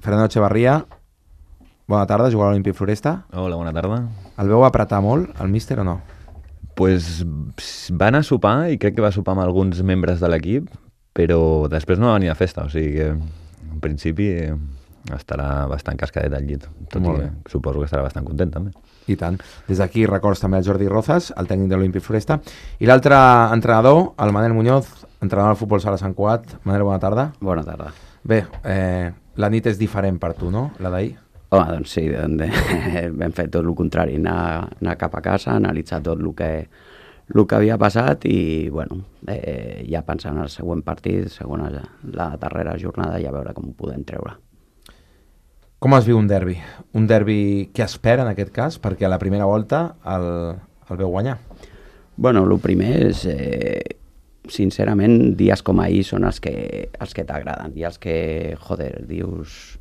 Fernando Echevarría, bona tarda, jugar a l'Olímpic Floresta. Hola, bona tarda. El veu apretar molt, el míster, o no? Pues va anar a sopar i crec que va sopar amb alguns membres de l'equip, però després no va venir a festa, o sigui que en principi estarà bastant cascadet al llit. Tot i que suposo que estarà bastant content també. I tant. Des d'aquí records també al Jordi Rozas, el tècnic de l'Olímpic Floresta. I l'altre entrenador, el Manel Muñoz, entrenador del futbol sala Sant Cugat. Manel, bona tarda. Bona tarda. Bé, la nit és diferent per tu, no? La d'ahir? Home, doncs sí, vam fer tot el contrari, anar cap a casa, analitzar tot el que havia passat i, bueno, ja pensant en el següent partit, la darrera jornada, ja veure com ho podem treure. Com es viu un derbi? Un derbi que espera, en aquest cas, perquè a la primera volta el veu guanyar. Bueno, el primer és, sincerament, dies com ahir són els que t'agraden i els que, joder, dius...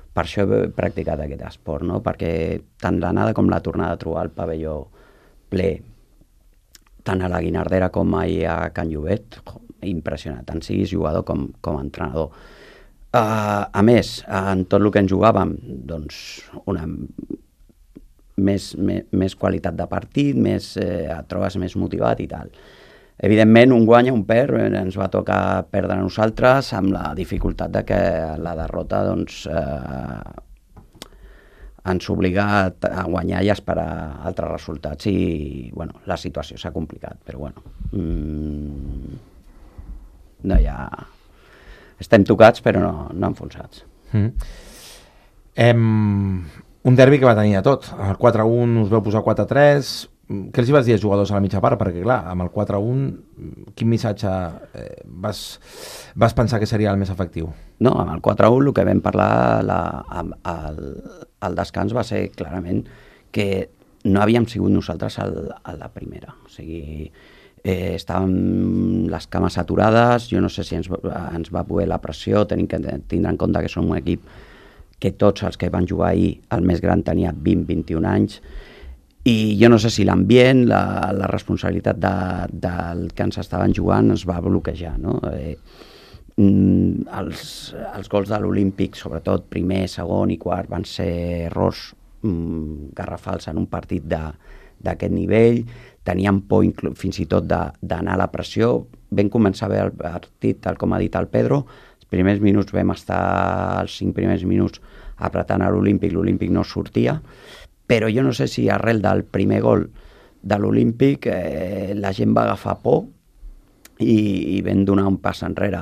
Per això he practicat aquest esport, no? Perquè tant l'anada com la tornada a trobar el pavelló ple, tant a la Guinardera com ahir a Can Llobet, impressionant, tant siguis jugador com a entrenador. A més, en tot el que ens jugàvem, doncs, més qualitat de partit, et trobes més motivat i tal. Evidentment, un guanya, un perd, ens va tocar perdre a nosaltres amb la dificultat de que la derrota doncs, ens obliga a guanyar i a esperar altres resultats i bueno, la situació s'ha complicat, però bueno, no hi ha... Estem tocats però no enfonsats. Un derbi que va tenir de tot. El 4-1 us veu posar 4-3... Què els hi vas dir als jugadors a la mitja part? Perquè, clar, amb el 4-1, quin missatge vas pensar que seria el més efectiu? No, amb el 4-1 el que vam parlar al descans va ser clarament que no havíem sigut nosaltres a la primera. O sigui, estàvem les cames saturades, jo no sé si ens va poder la pressió, tenim que tindre en compte que som un equip que tots els que van jugar ahir, el més gran tenia 20-21 anys, i jo no sé si l'ambient, la responsabilitat del que ens estaven jugant ens va bloquejar, no? Els gols de l'Olímpic, sobretot primer, segon i quart, van ser errors garrafals en un partit d'aquest nivell. Teníem por fins i tot d'anar a la pressió. Vam començar bé el partit, tal com ha dit el Pedro. Els primers minuts vam estar, els 5 primers minuts, apretant a l'Olímpic no sortia. Però jo no sé si arrel del primer gol de l'Olímpic la gent va agafar por i vam donar un pas enrere.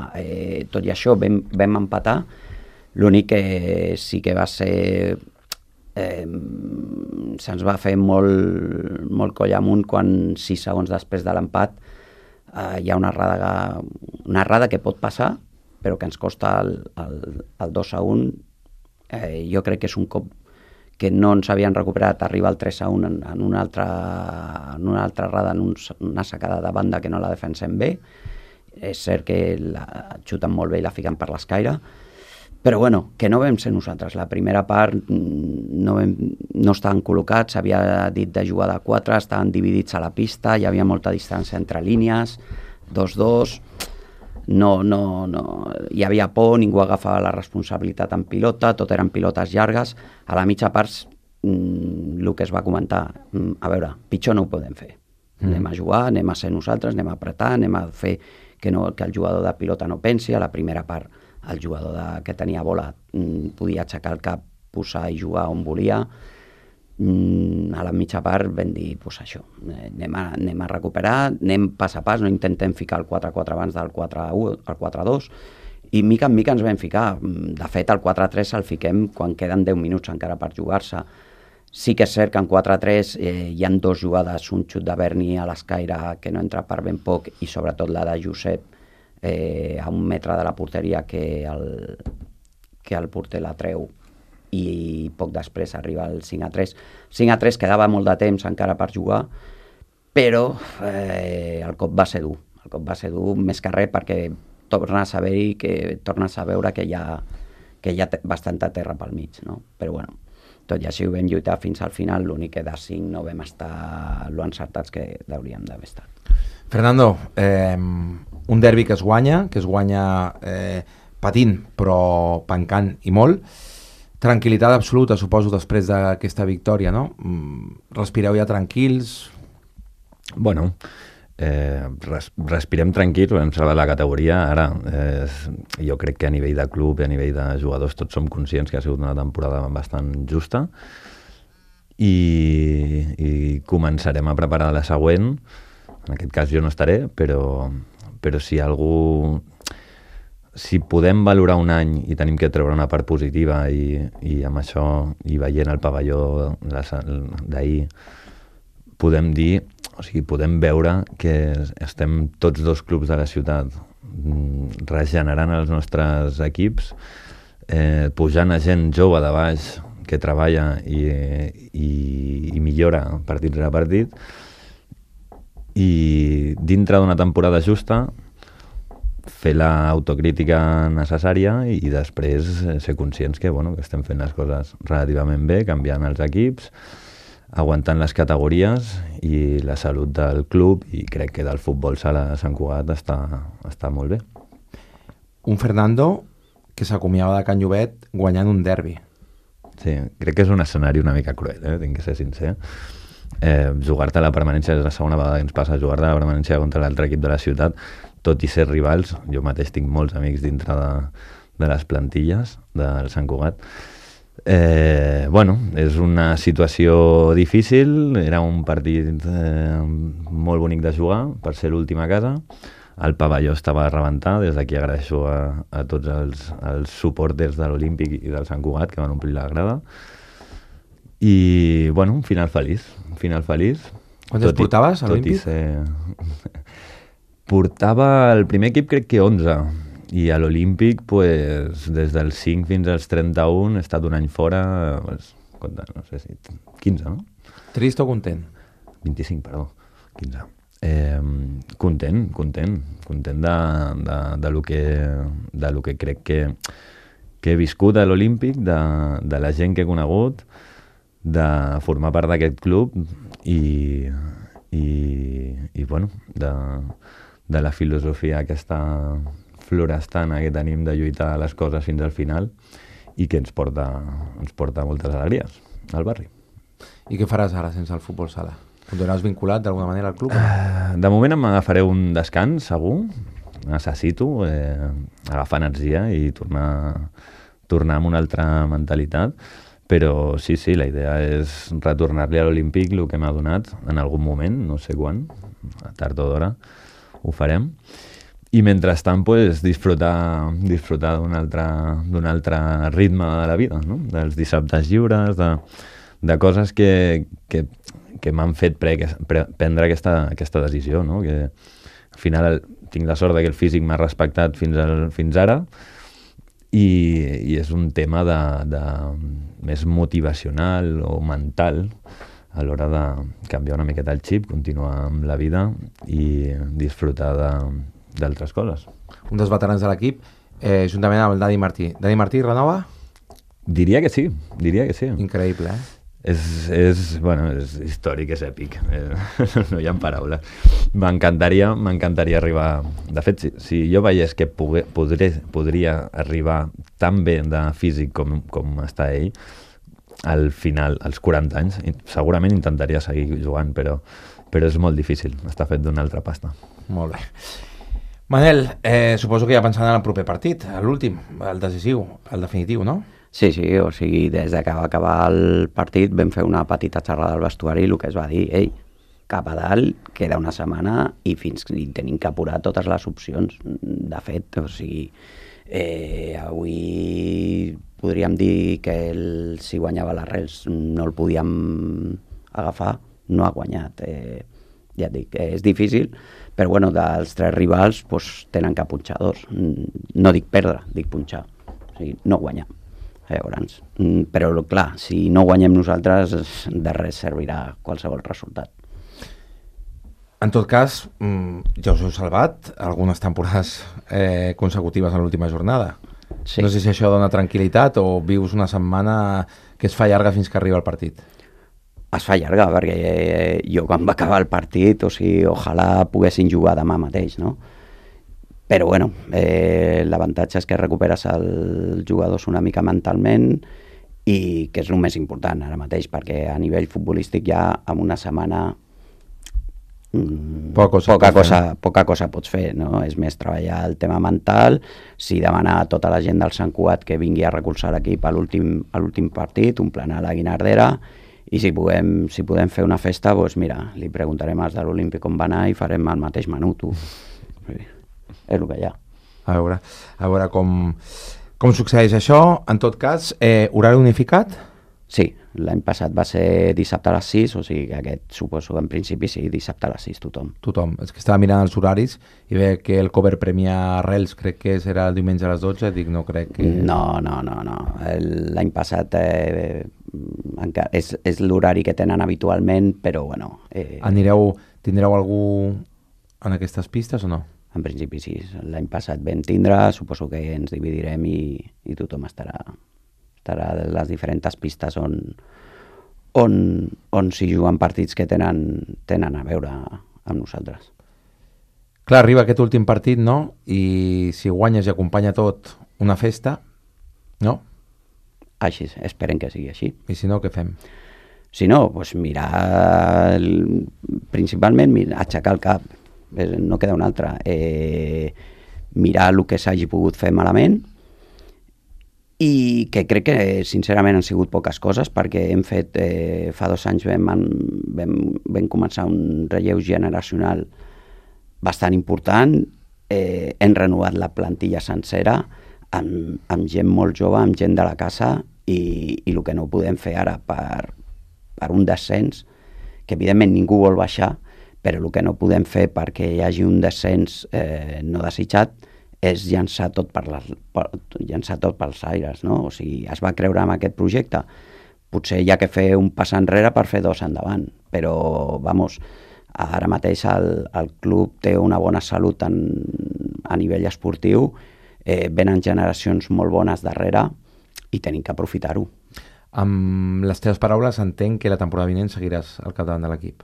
Tot i això vam empatar, l'únic que sí que va ser... se'ns va fer molt coll amunt quan 6 segons després de l'empat hi ha una errada que pot passar, però que ens costa el 2-1. Jo crec que és un cop que no ens havien recuperat, arriba el 3-1 en una altra errada, en una sacada de banda que no la defensem bé. És cert que la xuten molt bé i la fiquen per l'escaire, però bueno, que no vam ser nosaltres. La primera part no estaven col·locats, s'havia dit de jugar de 4, estaven dividits a la pista, hi havia molta distància entre línies, 2-2... No, hi havia por, ningú agafava la responsabilitat en pilota, tot eren pilotes llargues. A la mitja part, el que es va comentar, a veure, pitjor no ho podem fer. Anem a jugar, anem a ser nosaltres, anem a apretar, anem a fer que el jugador de pilota no pensi. A la primera part, el jugador que tenia bola podia aixecar el cap, posar i jugar on volia. A la mitja part vam dir, doncs això, anem a recuperar, anem pas a pas, no intentem ficar el 4-4 abans del 4-1, el 4-2, i mica en mica ens vam ficar. De fet, el 4-3 el fiquem quan queden 10 minuts encara per jugar-se. Sí que és cert que en 4-3 hi ha 2 jugades, un xut de Berni a l'escaire que no entra per ben poc i sobretot la de Josep a 1 metre de la porteria que el porter la treu i poc després arriba el 5-3. 5-3 quedava molt de temps encara per jugar, però el cop va ser dur. El cop va ser dur més que res perquè tornes a veure que hi ha bastanta terra pel mig, no? Però bueno, tot i així ho vam lluitar fins al final, l'únic que de 5 no vam estar lo encertats que hauríem d'haver estat. Fernando, un derbi que es guanya patint però pencant i molt. Tranquil·litat absoluta, suposo, després d'aquesta victòria, no? Respireu ja tranquils? Bueno, respirem tranquils, hem salvat la categoria. Ara, jo crec que a nivell de club i a nivell de jugadors tots som conscients que ha sigut una temporada bastant justa i començarem a preparar la següent. En aquest cas jo no estaré, però si algú... Si podem valorar un any i tenim que treure una part positiva i amb això, i veient el pavelló d'ahir, podem dir, o sigui, podem veure que estem tots dos clubs de la ciutat regenerant els nostres equips, pujant a gent jove de baix que treballa i millora partit rere partit, i dintre d'una temporada justa fer l'autocrítica necessària i després ser conscients que estem fent les coses relativament bé, canviant els equips, aguantant les categories i la salut del club, i crec que del futbol sala de Sant Cugat està molt bé. Un Fernando que s'acomiava de Can Llobet guanyant un derbi. Sí, crec que és un escenari una mica cruel, tinc que ser sincer. Jugar-te a la permanència és la segona vegada que ens passa, jugar-te a la permanència contra l'altre equip de la ciutat, tot i ser rivals. Jo mateix tinc molts amics dintre de les plantilles del Sant Cugat. És una situació difícil, era un partit molt bonic de jugar per ser l'últim a casa, el pavelló estava a rebentar, des d'aquí agraeixo a tots els suporters de l'Olímpic i del Sant Cugat que van omplir la grada, i un final feliç. Quantes portaves a l'Olímpic? Portava el primer equip crec que 11, i a l'Olímpic des dels 5 fins als 31 he estat un any fora, no sé si 15, no? Trist o content? 25, perdó, 15. Content de lo que crec que he viscut a l'Olímpic, de la gent que he conegut, de formar part d'aquest club i de la filosofia aquesta florestana que tenim de lluitar les coses fins al final i que ens porta moltes alegries al barri. I què faràs ara sense el futbol sala? Continuaràs vinculat d'alguna manera al club? De moment m'agafaré un descans, segur. Necessito agafar energia i tornar amb una altra mentalitat. Però sí, la idea és retornar-li a l'Olímpic el que m'ha donat en algun moment, no sé quan, tard o d'hora, ho farem. I mentrestant, disfrutar d'un altre ritme de la vida, no? Dels dissabtes lliures, de coses que m'han fet prendre aquesta decisió, no? Que al final tinc la sort que el físic m'ha respectat fins ara, i és un tema més motivacional o mental a l'hora de canviar una miqueta el xip, continuar amb la vida i disfrutar d'altres coses. Un dels veterans de l'equip, juntament amb el Dani Martí. Dani Martí renova? Diria que sí. Increïble, És històric, és èpic. No hi ha paraules. M'encantaria arribar... De fet, si jo veiés que podria arribar tan bé de físic com està ell, al final, als 40 anys, segurament intentaria seguir jugant, però és molt difícil. Està fet d'una altra pasta. Molt bé. Manel, suposo que ja pensant en el proper partit, l'últim, el decisiu, el definitiu, no? Sí, o sigui, des que va acabar el partit vam fer una petita xerrada al vestuari i el que es va dir, cap a dalt, queda una setmana i tenim que apurar totes les opcions. De fet, o sigui, avui podríem dir que si guanyava l'Arrels no el podíem agafar, no ha guanyat. Ja et dic, és difícil, però dels 3 rivals tenen que punxar 2. No dic perdre, dic punxar. O sigui, no guanyar. Llavors, però clar, si no guanyem nosaltres, de res servirà qualsevol resultat. En tot cas, ja us heu salvat algunes temporades consecutives en l'última jornada. Sí. No sé si això dona tranquil·litat o vius una setmana que es fa llarga fins que arriba el partit. Es fa llarga, perquè jo quan va acabar el partit, o sigui, ojalà poguessin jugar demà mateix, no? Però l'avantatge és que recuperes els jugadors una mica mentalment i que és el més important ara mateix, perquè a nivell futbolístic ja en una setmana poca cosa pots fer, no? És més treballar el tema mental, si demanar a tota la gent del Sant Cugat que vingui a recolzar l'equip a l'últim partit, un plan a la Guinardera, i si podem fer una festa, doncs mira, li preguntarem als de l'Olímpic on va anar i farem el mateix menú, tu. És el que hi ha. A veure com succeeix això. En tot cas, horari unificat? Sí, l'any passat va ser dissabte a les 6, o sigui que aquest suposo que en principi sí, dissabte a les 6 tothom. És que estava mirant els horaris i veia que el cover Premià Arrels crec que serà el diumenge a les 12, dic no crec que... No. L'any passat és l'horari que tenen habitualment, però bueno... Tindreu algú en aquestes pistes o no? En principi sí, l'any passat vam tindre, suposo que ens dividirem i tothom estarà a les diferents pistes on s'hi juguen partits que tenen a veure amb nosaltres. Clar, arriba aquest últim partit, no? I si guanyes i acompanya tot una festa, no? Així, esperem que sigui així. I si no, què fem? Si no, doncs principalment aixecar el cap, no queda una altra. Mirar el que s'hagi pogut fer malament, i que crec que sincerament han sigut poques coses, perquè hem fet, fa 2 anys vam començar un relleu generacional bastant important, hem renovat la plantilla sencera amb gent molt jove, amb gent de la casa, i el que no podem fer ara per un descens, que evidentment ningú vol baixar, però el que no podem fer perquè hi hagi un descens no desitjat és llançar tot pels aires, no? O sigui, es va creure en aquest projecte. Potser hi ha que fer un pas enrere per fer 2 endavant, però, ara mateix el club té una bona salut a nivell esportiu, venen generacions molt bones darrere i tenim que aprofitar-ho. Amb les teves paraules entenc que la temporada vinent seguiràs al capdavant de l'equip.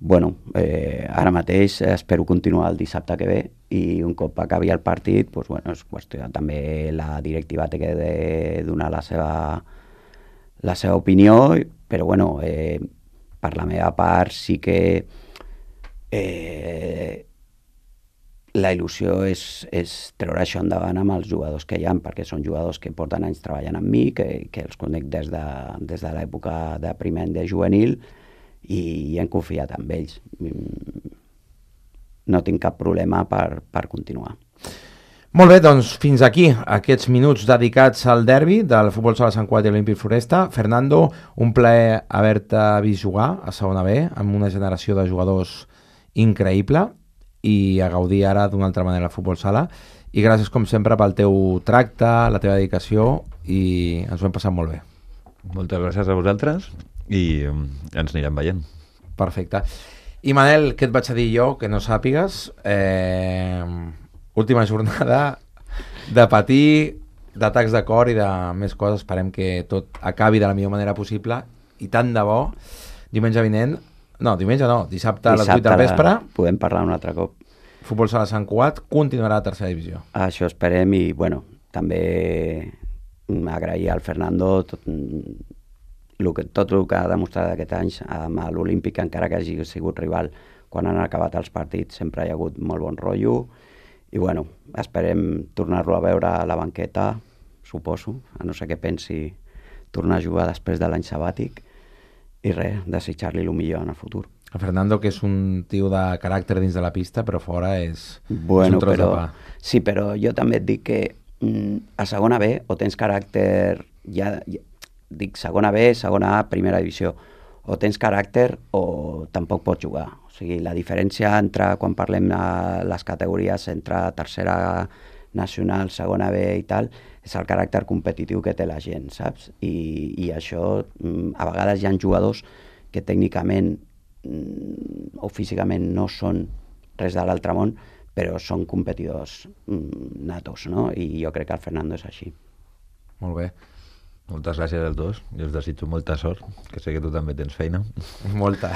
Bueno, ara mateix espero continuar el dissabte que ve, i un cop acabi el partit, doncs, bueno, és qüestió, també la directiva té que donar la seva opinió, però bueno, per la meva part sí que la il·lusió és treure això endavant amb els jugadors que hi ha, perquè són jugadors que porten anys treballant amb mi, que els conec des de l'època de primer any de juvenil, i hem confiat en ells. No tinc cap problema per continuar. Molt bé, doncs fins aquí aquests minuts dedicats al derbi del Futbol Sala Sant Cugat i l'Olímpic Floresta. Fernando, un plaer haver-te vist jugar a segona B amb una generació de jugadors increïble i a gaudir ara d'una altra manera al Futbol Sala, i gràcies com sempre pel teu tracte, la teva dedicació, i ens ho hem passat molt bé. Moltes gràcies a vosaltres i ens anirem veient. Perfecte. I Manel, què et vaig a dir jo que no sàpigues? Última jornada de patir, d'atacs de cor i de més coses. Esperem que tot acabi de la millor manera possible, i tant de bo diumenge vinent, dissabte a les 8 del vespre podem parlar un altre cop. Futbol Sala Sant Cugat continuarà a tercera divisió. Això esperem, i bueno, també agrair al Fernando tot el que ha demostrat aquest any amb l'Olímpic, encara que hagi sigut rival. Quan han acabat els partits sempre hi ha hagut molt bon rotllo, i bueno, esperem tornar-lo a veure a la banqueta, suposo, a no ser que pensi tornar a jugar després de l'any sabàtic, i res, desitjar-li el millor en el futur. El Fernando, que és un tio de caràcter dins de la pista, però fora és un tros de pa. Sí, però jo també et dic que a segona B o tens caràcter, dic segona B, segona A, primera divisió, o tens caràcter o tampoc pots jugar. O sigui, la diferència entre, quan parlem de les categories entre tercera nacional, segona B i tal, és el caràcter competitiu que té la gent, saps? I això, a vegades hi ha jugadors que tècnicament o físicament no són res de l'altre món, però són competidors natos, no? I jo crec que el Fernando és així. Molt bé. Moltes gràcies als dos, i us desitjo molta sort, que sé que tu també tens feina. Molta.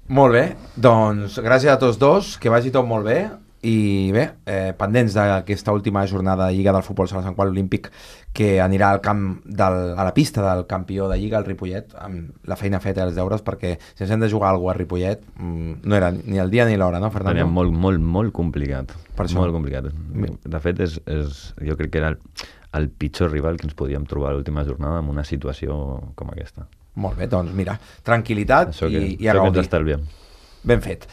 Molt bé, doncs gràcies a tots dos, que vagi tot molt bé, i bé, pendents d'aquesta última jornada de Lliga del Futbol Sala Sant Qual Olímpic, que anirà al a la pista del campió de Lliga, el Ripollet, amb la feina feta i els deures, perquè si ens hem de jugar alguna cosa a Ripollet, no era ni el dia ni l'hora, no, Fernando? Tenia molt complicat. Per això. Molt complicat. De fet, jo crec que era el pitjor rival que ens podíem trobar a l'última jornada en una situació com aquesta. Molt bé, doncs mira, tranquil·litat Això que i a ens gaudir. estalviem. Ben fet.